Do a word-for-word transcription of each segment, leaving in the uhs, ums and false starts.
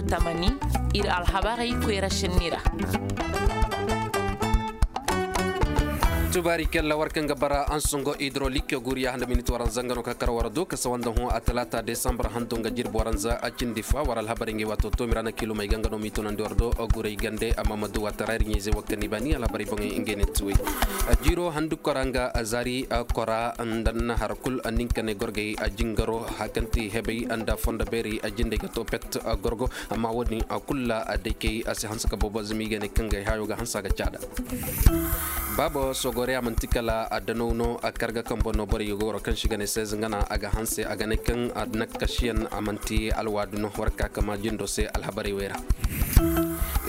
Tamani, ir alhabarey koyra senni ra. Tubaari kella war kaŋ ga bara ansongo hidrolik guriya handa minit waranza nga no ka kar war do ka sawa nda hõ a talaata desambar hando nga jirbi waranza a cindi fa war alhabarey ngey waato toomi ra na kiilumey ga nga no m'i tunandi war do. Guray gande amma ma du waatara ir ɲayzey wakkani baani alhabarey boŋey ngey ne tuwey. Jiiro handu kora nga zaari kora nda nahar kul ninka ne gorgey jingaro hakanti hebey nda fondo beerey jindey ga to pet gorgo. Amma wo-din kul ra daykey a si hanse ka boobo zama i ga ne kaŋ gay hayo ga hanse a ga caada. Baabo sogore a manti kala a danaw no a karga kambo no borey ga goro kaŋ si ga ne seize nga na a ga hanse a ga ne kaŋ a nakasiyaŋ a manti alwaadu no war ka kama jindo se alhabarey wey ra.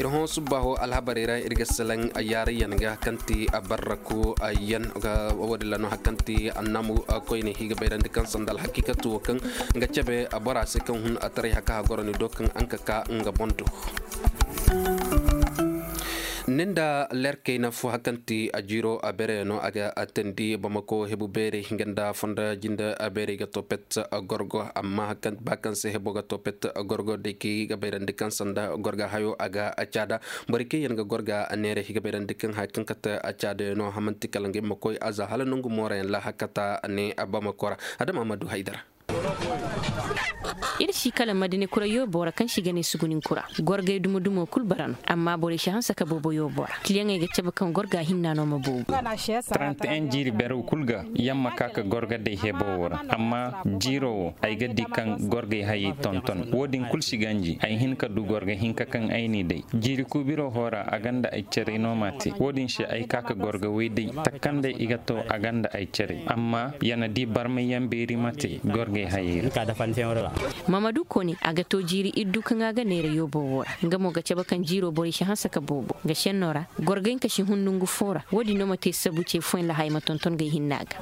Ir hõ subbaaho alhabarey ra ir ga salaŋ yaarayyaŋ ga kaŋ ti a barraku yaŋ ga wo-din ra no hari kaŋ ti annamu koyne i ga bayrandi kaŋ sanda alhakiikatu wo kaŋ ga cabe bora se kaŋ hun a taray haka a goro ni do kaŋ aŋ ka ka nga boŋ do. Ni nda leer kayna fo hari kaŋ ti a jiiro a beerey no a ga a teendi bamako hebu beerey nga nda fonda jinde a beerey ga to pet gorgo amma ba kaŋ se hebo ga to pet gorgo day kaŋ i ga bayrandi kaŋ sanda gorga hayo a ga a caada. Borey kaŋ yaŋ ga gorga neerey i ga bayrandi kaŋ haya kaŋ kate a caada yaŋ no hamanti kala ngey ma koy a za hala nangu moorayaŋ ra hakata ne a bamako ra. Adama ma du haydara. Ir si kala madine kura yoobo ra kaŋ si ga ne sugunin kura gorgey dumo dumo kul bara no amma borey si hanse ka boobo yoobo ra kiliyaŋey ga cabe kaŋ gorga hinna no ma boobo. Trente et un jiiri berew kul ga yamma ka ka gorga day hebo wo ra amma jiiro wo ay ga di kaŋ gorgey hayey tonton wo-din kul si ganji ay hin ka du gorga hinka kaŋ ay n'i day. Jiiri kuubiro hora a gonda ay carey no m'a te wo-din se ay ka ka gorga way day takkanday i ga to a gonda ay carey amma ya na di barmayyaŋ beeri ma te gorgey hayey ra. Mamadu kone a ga to jiiri iddu kaŋ a ga neera yoobo wo ra nga mo ga cabe kaŋ jiiro borey si hanse ka boobo nga senno ra. Gorgay ka si hun nongu fo ra wo-din no ma te sabu ce fooyaŋ ra haya ma tonton gay hinna ga.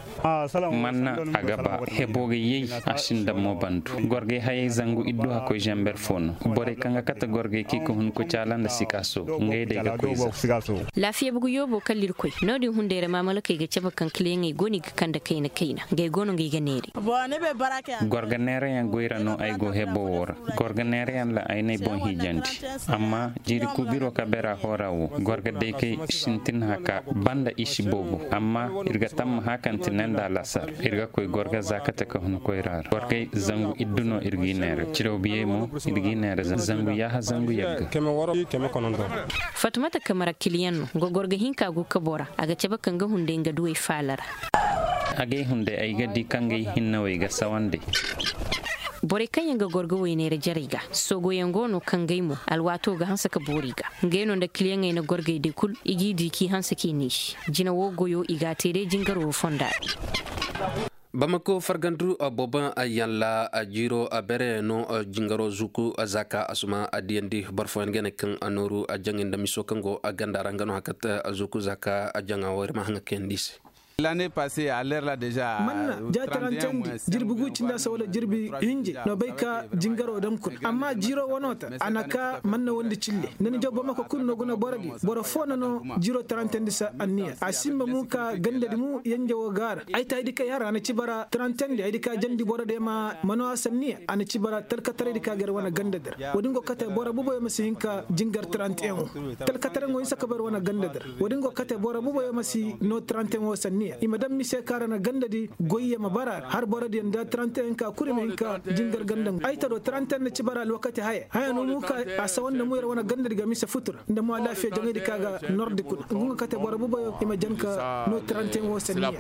Manna a ga ba hebo ga yay a sinda mo bandu. Gorgay hayay zangu iddu hakkoy zamber fo no. Borey kaŋ ga kate gorgay kaŋ i ga hun ka caala nda sikaaso ngey day ga koy za. Laafiya bugu yoobo kala ir koy no-din hunday ra maamalakey ga cabe kaŋ kiliyaŋey go no i ga kande kayna kayna ngey go no ngey ga neeri. Gorga neerayaŋ goy ra no ay go hebo wo ra. Gorga neerayaŋ ra ay n'ay boŋ hijandi. Amma jiiri kuubiro ka beera hora wo gorga day kay sintin haka banda i si boobo amma ir ga tamma hakanti ne nda alasar ir ga koy gorga za kate ka hun koyra ra gorgay zangu iddu no ir g'i neera ciraw biyey mo ir g'i neera zangu yaaha zangu yagga. Fatumata kamara kiliyaŋ no nga gorga hinka go kabo ra a ga cabe kaŋ ga hunday nga duwey faala ra. Agay hunday ay ga di kaŋ gay hinnawey ga sawandi. Borey kaŋ yaŋ ga gorgo wayneera jarey ga soogoyaŋ go no kaŋ gay mo alwaato ga hanse ka boori ga ngey no nda kiliyaŋey na gorgey day kul i g'i di k'i hanse k'i niisi jina wo goyo i g'a te day jingaro wo fonda ra. Bamako fargandu bobo yaŋ ra jiiro bere no jingaro zuku zaaka asuma a diyandi boro fooyaŋ ga ne kaŋ a nooru a jaŋay nda miso kaŋ go a ganda ra nga no hakat zuku zaaka a jaŋa wo ir ma haŋa kayandi i se. Manna ja tarantandi jirbi gu cindi a se wala jirbi hinje no bay ka jingaro dam kuna amma jiiro wano ta a na ka manna wondi cille nda ni jaw bamako kulu no guna boro di boro fo na no jiiro tarantandi se anniya a simba mu ka ganda di mu yanje wo gaara ay ta ay di kay har a na ci bara tarantandi ay di ka jandi boro de ma mano a sanniya a na ci bara talkataray di ka gar wane ganda dir wo-din go kate boro buboyo ma si hin ka jingar tarantiyaŋo talkataray ŋo hinsa ka bar wane ganda dir wo-din go kate boro buboyo ma si no tarantiyaŋo sanniya i ma daŋ mise kaara na ganda di goyye ma bara har boro diyaŋ da tarantiyaŋ ka kuri ma hin ka jingar ganda ay ta do tarantiyaŋ na ci bara alwakati haya haya no mu ka a sawan da mu yar wane ganda di ga mise futur nda mo alaafiya jaŋay di ka ga nordi kuna nga nga kate boro buboyo i ma jan ka no tarantiyaŋo sanniya.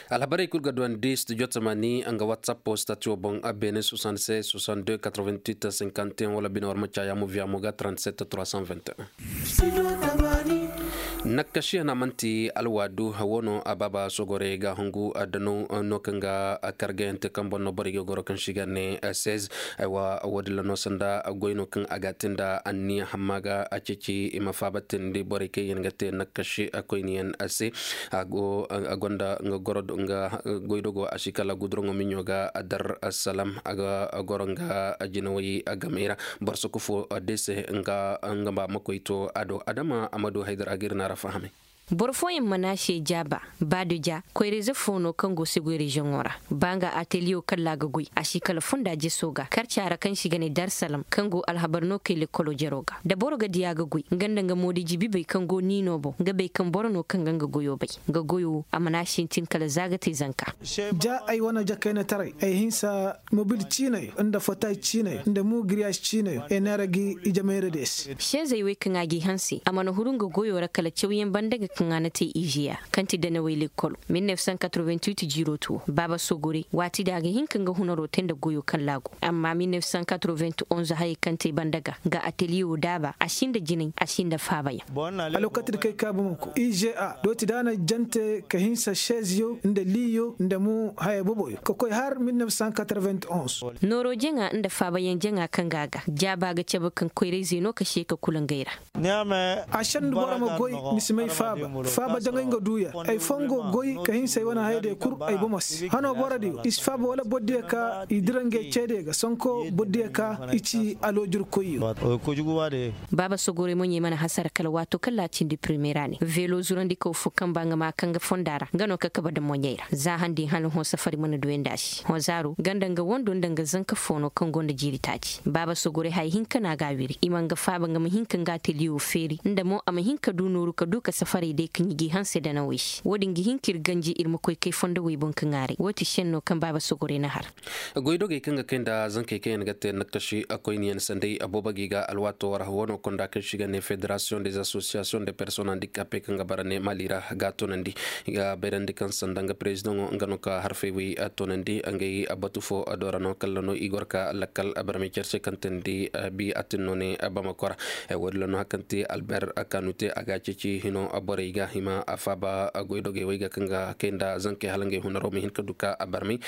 Alhabarey kul ga duwandi studio tamani nga whatsapp stati wo boŋ a beene soixante-seize soixante-deux quatre-vingt-huit cinquante et un wala bine war ma caya mo via mo ga trente-sept trois cent vingt et un. Nakkasiya na manti alwaadu wo no a baaba sogore ga hungu a danaw no kaŋ ga kargayante kaŋ boŋ no borey ga goro kaŋ si ga ne seize. Aywa wo- din ra no sanda goy no kaŋ a ga te nda anniya hamma ga a ceeci i ma faaba teendi borey kaŋ yaŋ ga te nakkasi koyniyaŋ se. A go a gonda nga goro nga goydogo a si kala guduraŋo miɲo ga a dar salam a ga goro nga jinawey gamey ra. Boro soko fo de se nga nga ba ma koy to a do adama a ma du haydar a ga ir na ra fahamay. Boro fooyaŋ mana se jaaba, ba da ja koyra-ize fo no kaŋ go se goy reziyoŋo ra. Ba nga ateliyewo kalla a ga goy a si kala fonda jeso ga karca ra kaŋ se i ga ne darsalam kaŋ go alhabar no kay lekkolo jero ga da boro ga diya ga goy nga nda nga moodi jibibey kaŋ go niino boŋ nga bay kaŋ boro no kaŋ ga nga goyo bay. Nga goyo a mana sintin kala za ga te zanka. Ja ay wane jakayna taray ay hinsa mobil ciinayo nda fotay ciinayo nda mugiriyas ciinayo ay neera gi ijemayradiyo se. Seezey wey kaŋ a g'i hanse a mana huru nga goyo ra kala cawyaŋ banda ga kaŋ a na te izeya kaŋ ti danawey lekkolo. Mil nef san katreventuwit jiiro tuwo baaba sogore waati da a ga hin ka nga hunaro te nda goyo kaŋ laago. Amma mil nef san katreventuwit onz hayey kaŋ te banda ga nga ateliyewo daaba a si nda jinay a si nda faabayaŋ. Alwakati da kay ka bamako ize a dooti da a na jante ka hinsa seziyo nda liyo nda mo haya boboyo ka koy har mil nef san katreventuwit onz. Nooro jaŋa nda faabayaŋ jaŋa kaŋ ga a ga jaaba ga cabe kaŋ koyrayzey no ka se ka kula ngey ra. A sendu boro ma goy ni si may faaba faaba jaŋay nga duuya. Ay foo nga goy ka hinsa ay wane hayadiyo kul ay bomo se hano borodiyo i si faaba wala borodiyo ka i dira ngey ceediyo ga sonko borodiyo ka i ci aloojirkoyyo. Baaba sogorey moɲey mana hasara kala waato kaŋ laacindi primera ne veelo zurandikaw fo kaŋ ba nga ma kaŋ ga fonda ra nga no ka kaba nda moɲey ra za handi hala hõ safari mana duyandi a se hõ zaaro ganda nga wando nda nga zanka fo no kaŋ gonda jiiri taaci baaba sogorey haya hinka no a ga a wiri i ma nga faaba nga ma hinka nga ateliyewo feeri nda mo a ma hinka du nooru ka du ka safarey day ka ɲi g'i hanse danawey se wo-din ga hin ka ir ganji ir ma koy kay fondowey boŋ ka ŋaaray wo ti senno kaŋ baaba sogorey na har. Goydogey kaŋ ga kay nda zankey kaŋ yaŋ ga te nakashi koyniyaŋ sanday boobo g'i ga alwaato ra wano konda kaŋ se i ga ne federasiyoŋ des asosiyasiyoŋ de personnes handikape kaŋ ga bara ne mali ra ga a toonandi. I ga bayrandi kaŋ sanda nga perezidaŋo nga no ka harfey wey toonandi ngey batu fo do ra no kala no i goro ka lakkal barmey care se kaŋ teendi bi atin no ne bamako ra. Woodin ra no hari kaŋ ti alber kanute a ga a ceeci hino borey ga i ma faaba goydogey wey ga kaŋ ga kay nda zankey hala ngey hunaro ma hin ka du ka barmey.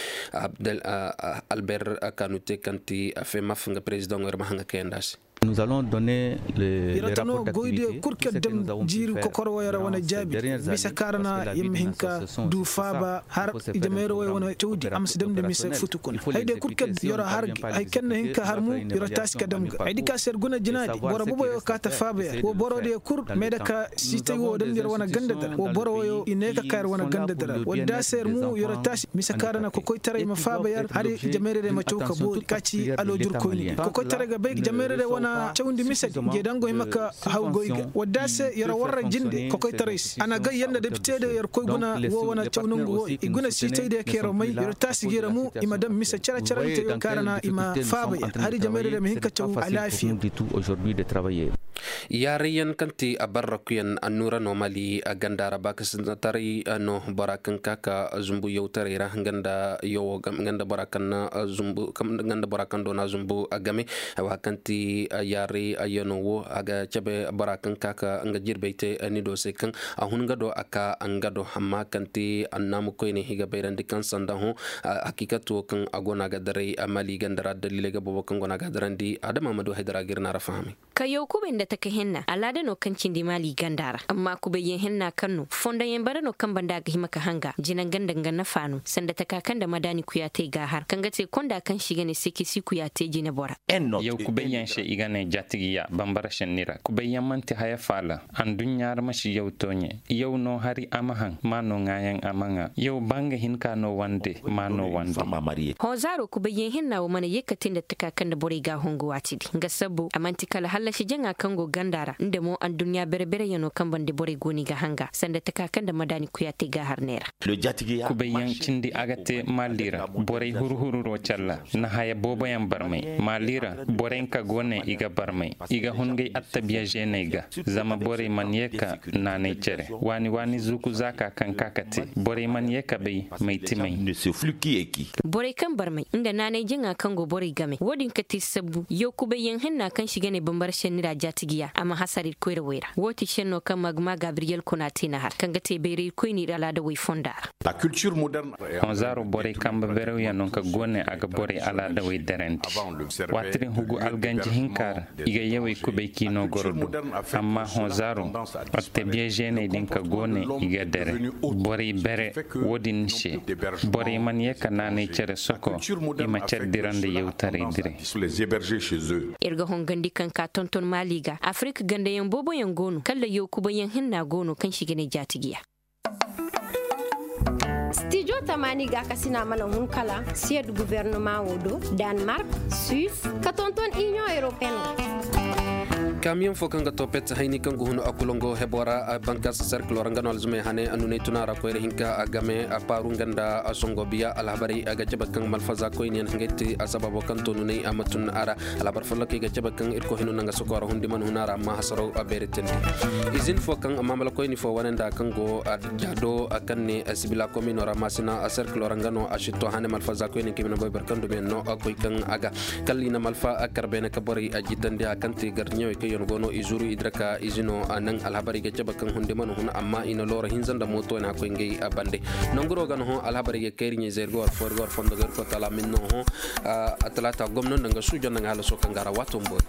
Alber kanute kaŋ ti femaf nga perezidaŋo ir ma haŋ ga kayandi a se. Ir ga tano goydiyo kul kaŋ daŋ jiiri kokor woyoo ra wane jaabi mise kaŋ ra na ir ma hin ka du faaba har ijemayrowey wane cawdi a ma si damndi mise futu kuna haydiyo kul kaŋ yer har gi hay kaŋ na hin ka har mu yer taasi ka dam ga haydi kaŋ se yer guna jinaadi boro boboyo kaa ta faaba yer wo borodiyo kul meeda ka siitay wo damndi yer wane ganda dara wo boro woyoo i ne ka ka yer wane ganda dara wadda se yer mu yer taasi mise kaŋ ra na kokoytaray ma faaba yer hari jamayradiyo ma caw ka boori ka ci aloojirkoyni kokoytaray ga bay jamayradiyo wane cawndi misedi jeedango hima ka haw goy ga wadda se yer warra jinde kokoytaray se a na gay yer nda depitediyo yer koy guna wo wane caw nangu wo i guna siitaydiyo ka yer may yer taasi ga yer mu i ma daŋ mise cere-cerante yo kaŋ ra na i ma faaba yer hari jamayradiyo ma hin ka caw alaafiya. Yaarayyaŋ kaŋ ti abarrakuyaŋ annuura no mali ganda ra baakasinataray no bora kaŋ ka ka zumbu yawtaray ra nga nda bora kaŋ do na zumbu game. Wa kaŋ ti yaaray yano wo a ga cabe bora kaŋ ka ka nga jirbay te ni do se kaŋ a hun nga do a ka nga do amma kaŋ ti annaamu koyne i ga bayrandi kaŋ sanda hõ hakiikati wo kaŋ a go no a ga daray mali ganda ra daliiley ga boobo kaŋ go no a ga darandi adama ma du haydara ga ir na ra fahamay. Kayo kubay nda taka henna alaada no kaŋ cindi maali ganda ra amma kubayyaŋ henna kaŋ no fondoyaŋ bare no kaŋ banda a ga hima ka hanga jina nga nda nga nafa no sanda taka kaŋ nda madaani kuyaatey ga a har kaŋ ga te konda kaŋ se i ga ne sekisi kuyaatey jinebora. Yaw kubayyaŋ se i ga ne jaatigiya bambara senni ra kubayyaŋ man'ti haya faala. Anduɲɲa ra ma si yaw tooɲe yaw no hari a ma haŋ ma no ŋaayaŋ a ma ŋaa yaw ba nga hinka no wande ma no wande. Hõ zaaro kubayyaŋ henna wo mana ye ka te nda taka kaŋ nda borey ga a hongu waati di nga sabbu a man'ti kala hallasi jaŋa kaŋ go ganda ra nda mo anduɲɲa bere-bereyaŋo kaŋ bande borey go no i ga hanga sanda taka kaŋ nda madaani kuyaatey ga a har neera. Kubayyaŋ cindi a ga te maali ra borey huru-hururo calla na haya booboyaŋ barmay maali ra borey nka go ne i ga barmay i ga hun ngey attabiya zeeney ga. Zama borey mana ye ka naanay cere waani-waani zuuku zaaka kaŋ ka ka te borey mana ye ka bay may ti may. Borey kaŋ barmay nda naanay jaŋa kaŋ go borey game wo-din ka te sabbu yaw kubayyaŋ henna kaŋ se i ga ne bambara senni ra jaatigiya a ma hasara ir koyrawey ra wo ti senno kaŋ magma gabriyel kona te na har kaŋ ga te bayray ir koyne ir alaadawey fonda ra. Hõ zaaro borey kambe berewyano ka go ne a ga borey alaadawey darandi waati din hugu alganji hinka. I ga yawey kubay k'i no goro du. Amma hõ zaaro, attabiya žeeney din ka go ne, i ga dere borey bere. Wo-din se, borey mana ye ka naanay cere soko, i ma cere dira nda yawtaray diray. Ir ga hongandi kaŋ ka tonton maali ga afirik gandayaŋ booboyaŋ go no kala yaw kubayyaŋ hinna go no kaŋ se i ga ne jaati ga ya. Stijo tamaani gaakasina mana hun kala siyed gubernama wo do, danmark, suis, ka tonton iniyoŋ europeyen ra. Kaamiyoŋ fo kaŋ ga to pet hayni kaŋ ga hun a kulango hebo ra, bankaasa serkilo ra nga no alzumey hane a nuney tuna ra koyra hinka a game a paaru nga nda a songo biya alhabarey a ga cabe kaŋ malfaza koyniyaŋ ngey ti a sababo kaŋ to nuney a ma tun a ra. Alhabar follokey ga cabe kaŋ irkoy hino naŋ a soko ra hundi mana hun a ra amma hasaraw a beeretandi. Izin fo kaŋ amma malakoyni fo wane nda kaŋ go a jaado a kaŋ ne a sibila komino ra maasina a serkilo ra nga no a sitto hane malfaza koyniyaŋ kaŋ i ma na boy barkandumiyaŋ no a koy kaŋ a ga kalla i na malfa a kar beene ka borey a jitandi a kaŋ te gardiɲewey kaŋ yaŋ go no i zuru i dira ka izino a naŋ alhabarey ga cabe kaŋ hundi mana hun amma i na looro hinza nda mooto wane a koy ngey a bande. Nanguro ga no hõ alhabarey ga kayri ɲey zey ir ga war fo ir ga war fondo ga ir koy tala min no hõ. A talaata gomno nda nga suujo nda nga halaso kaŋ ga ra waato mboori.